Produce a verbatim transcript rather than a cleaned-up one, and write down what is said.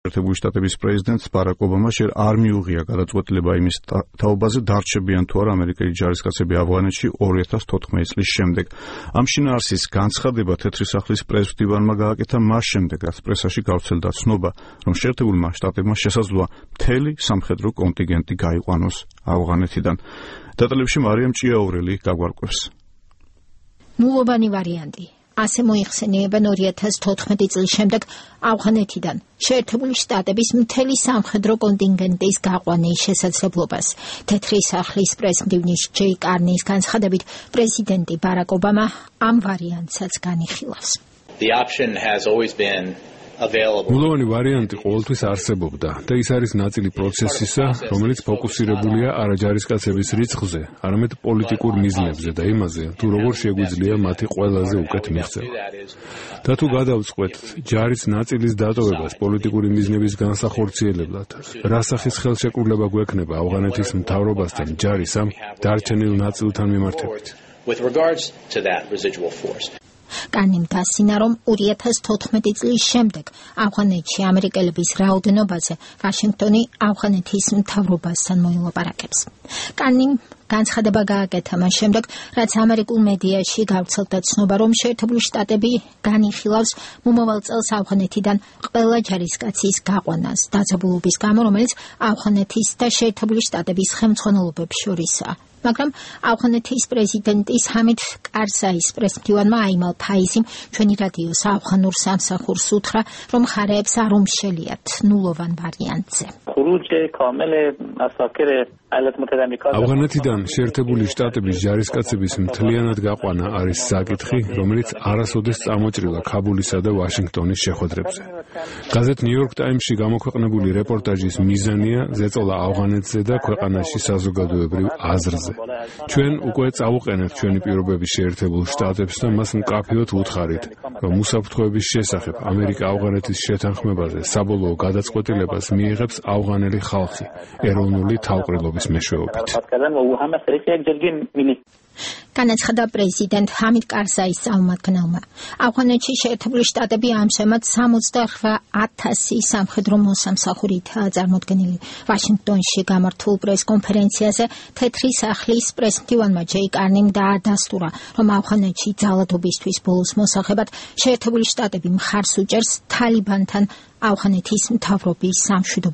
შეერთებული შტატების პრეზიდენტს ბარაკ ობამას ჯერ არ მიუღია გადაწყვეტილება იმის თაობაზე დარჩებიან თუ არა ამერიკელი ჯარისკაცები ავღანეთში ორი ათას თოთხმეტი წლის შემდეგ. ამ შინაარსის განცხადება თეთრი სახლის პრეზ-მდივანმა გააკეთა მას შემდეგ, რაც პრესაში გავრცელდა ცნობა, რომ შეერთებულმა შტატებმა შესაძლოა მთელი სამხედრო კონტინგენტი გაიყვანოს ავღანეთიდან. დეტალებში მარიამ ჭიაურელი გაგვარკვევს. ნულოვანი ვარიანტი. ასე მოიხსენიებენ ორი ათას თოთხმეტი წლის შემდეგ ავღანეთიდან შეერთებული შტატების მთელი სამხედრო კონტინგენტის გაყვანის შესაძლებლობას. თეთრი სახლის პრეს-მდივნის ჯეი კარნის განცხადებით, პრეზიდენტი ბარაკ ობამა ამ ვარიანტსაც განიხილავს. The option has always been ნულოვანი ვარიანტი ყოველთვის არსებობდა და ის არის ნაწილი პროცესისა, რომელიც ფოკუსირებულია არა ჯარისკაცების რიცხვზე, არამედ პოლიტიკურ მიზნებზე და იმაზე, თუ როგორ შეგვიძლია მათი ყველაზე უკეთ მიღწევა. და თუ გადავწყვეტ ჯარის ნაწილის დატოვებას პოლიტიკური მიზნების განსახორციელებლად, რა სახის ხელშეკრულება გვექნება ავღანეთის მთავრობასთან ჯარის ამ დარჩენილ ნაწილთან მიმართებით. With regards to that residual force. კანიმ დასინა, რომ ორი ათას თოთხმეტი წლის შემდეგ ავღანეთში ამერიკელების რაოდენობაზე ვაშინგტონი ავღანეთის მთავრობასთან მოილაპარაკებს. კანიმ განცხადება გააკეთა მას შემდეგ, რაც ამერიკულ მედიაში გავრცელდა ცნობა, რომ შეერთებული შტატები განიხილავს მომავალ წელს ავღანეთიდან ყველა ჯარისკაცის გაყვანას დაძაბულობის გამო, რომელიც ავღანეთის და შეერთებული შტატების ხელმძღვანელობებს შორისაა. მაგრამ ავღანეთის პრეზიდენტის ჰამიდ კარზაის პრეს-მდივანმა აიმალ ფაიზიმ ჩვენი რადიოს ავღანურ სამსახურს უთხრა, რომ მხარეებს არ უმშელიათ ნულოვან ვარიანტზე. ავღანეთიდან შეერთებული შტატების ჯარისკაცების მთლიანად გაყვანა არის საკითხი, რომელიც არასოდეს წამოჭრილა ქაბულისა და ვაშინგტონის შეხვედრებზე. გაზეთ ნიუ-იორკ ტაიმსში გამოქვეყნებული რეპორტაჟის მიზანია ზეწოლა ავღანეთზე და ქვეყანაში საზოგადოებრივ აზრზე. ჩვენ უკვე წავუყენებთ ჩვენი პირობების შეერთებულ შტატებს და მას მკაფიოდ ვუთხარით, რომ უსაფრთხოების შესახებ ამერიკა ავღანეთის შეთანხმებაზე საბოლოო გადაწყვეტილებას მიიღებს ავღანელი ხალხი ეროვნული თავყრილობის მეშვეობით. განაცხადა პრეზიდენტ ჰამიდ კარზაის წარმომადგენელმა. ავღანეთში შეერთებული შტატები ამჟამად სამოცდაოთხ ათასი სამხედრო მოსამსახურითაა წარმოდგენილი. ვაშინგტონში გამართულ პრეს-კონფერენციაზე თეთრი სახლის პრეს-მდივანმა ჯეი კარნიმ დაადასტურა, რომ ავღანეთში ძალადობისთვის ბოლოს მოსახებად შეერთებული შტატები მხარს უჭერს თალიბანთან ავღანეთის მთავრობის სამშვიდობო